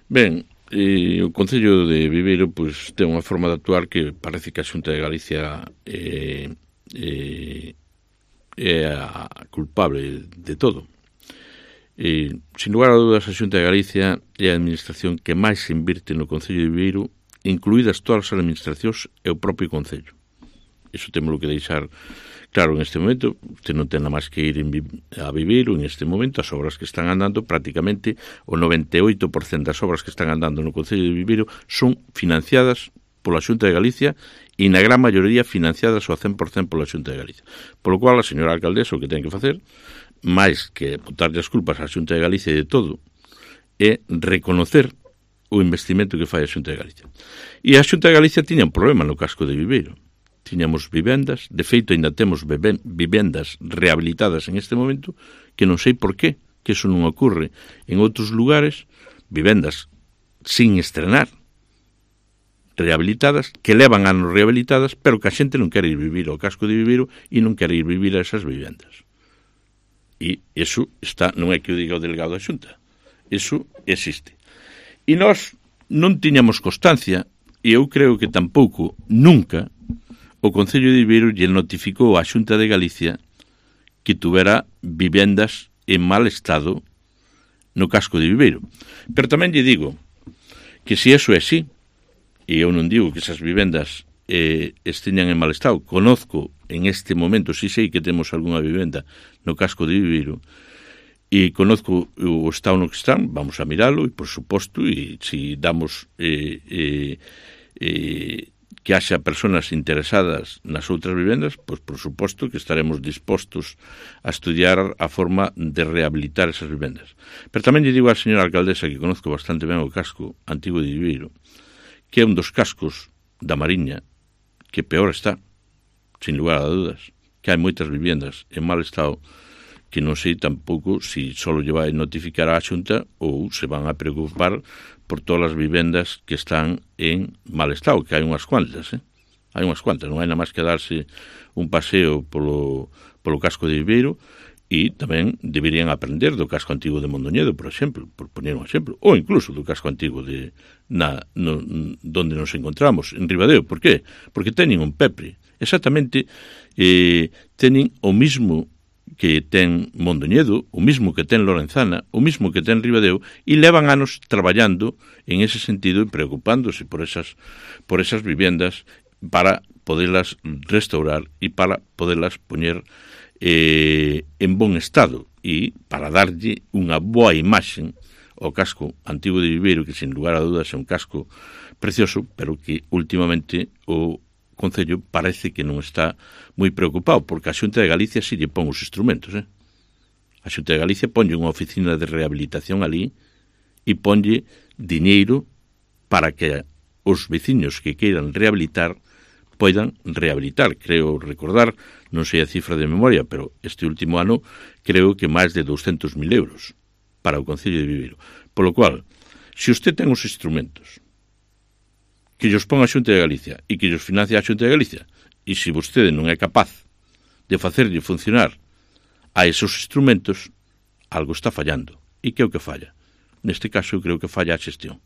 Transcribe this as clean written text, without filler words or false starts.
Ben, o Concello de Viveiro pois ten unha forma de actuar que parece que a Xunta de Galicia é a culpable de todo. Sin lugar a dúdas, a Xunta de Galicia é a administración que máis se invirte no Concello de Viveiro, incluídas todas as administracións e o propio Concello. Iso temos que deixar claro en este momento. Usted non ten nada máis que ir a Viveiro en este momento. As obras que están andando, prácticamente o 98% das obras que están andando no Concello de Viveiro son financiadas pola Xunta de Galicia e na gran maioría financiadas ao 100% pola Xunta de Galicia. Polo cual, a señora alcaldesa o que ten que facer, máis que botarlle as culpas á Xunta de Galicia de todo, é reconocer o investimento que fai a Xunta de Galicia. E a Xunta de Galicia tiña un problema no casco de Viveiro. Tiñamos vivendas, de feito ainda temos vivendas rehabilitadas en este momento, que non sei por qué, que eso non ocorre en outros lugares, vivendas sin estrenar, rehabilitadas, que levan anos rehabilitadas, pero que a xente non quere ir vivir ao casco de Viveiro e non quere ir vivir a esas vivendas. E iso está, non é que o diga o delegado da Xunta, iso existe. E nós non tiñamos constancia, e eu creo que tampouco, nunca, o Concello de Viveiro lle notificou á Xunta de Galicia que tuvera vivendas en mal estado no casco de Viveiro. Pero tamén lle digo que se eso é así, e eu non digo que esas vivendas esteñan en mal estado, conozco en este momento, si sei que temos algunha vivenda no casco de Viveiro, e conozco o estado no que están, vamos a miralo, e por suposto, e se damos que haxa persoas interesadas nas outras vivendas, pois por suposto que estaremos dispostos a estudiar a forma de rehabilitar esas vivendas. Pero tamén lle digo á señora alcaldesa, que conozco bastante ben o casco antigo de Viveiro, que é un dos cascos da Mariña que peor está, sin lugar a dudas, que hai moitas vivendas en mal estado, que non sei tampouco se só lle vai notificar á Xunta ou se van a preocupar por todas as vivendas que están en mal estado, que hai unhas cuantas, hai unhas cuantas, non hai nada máis que darse un paseo polo casco de Viveiro, e tamén deberían aprender do casco antigo de Mondoñedo, por exemplo, por poner un exemplo, ou incluso do casco antigo de donde nos encontramos, en Ribadeo. Por qué? Porque teñen un pepre, exactamente, teñen o mismo que ten Mondoñedo, o mismo que ten Lorenzana, o mismo que ten Ribadeo, e levan anos traballando en ese sentido e preocupándose por esas vivendas para poderlas restaurar e para poderlas poñer en bon estado e para darlle unha boa imaxe ao casco antigo de Viveiro, que sin lugar a dudas é un casco precioso, pero que últimamente o Concello parece que non está moi preocupado, porque a Xunta de Galicia si lle pon os instrumentos. A Xunta de Galicia ponlle unha oficina de rehabilitación ali e ponlle diñeiro para que os veciños que queiran rehabilitar poidan rehabilitar. Creo recordar, non sei a cifra de memoria, pero este último ano creo que máis de 200.000 euros para o Concello de Viveiro. Polo cual, se usted ten os instrumentos que llos pon a Xunta de Galicia e que llos financia a Xunta de Galicia, e se vostede non é capaz de facerlle funcionar a esos instrumentos, algo está fallando. E que é o que falla? Neste caso, eu creo que falla a xestión.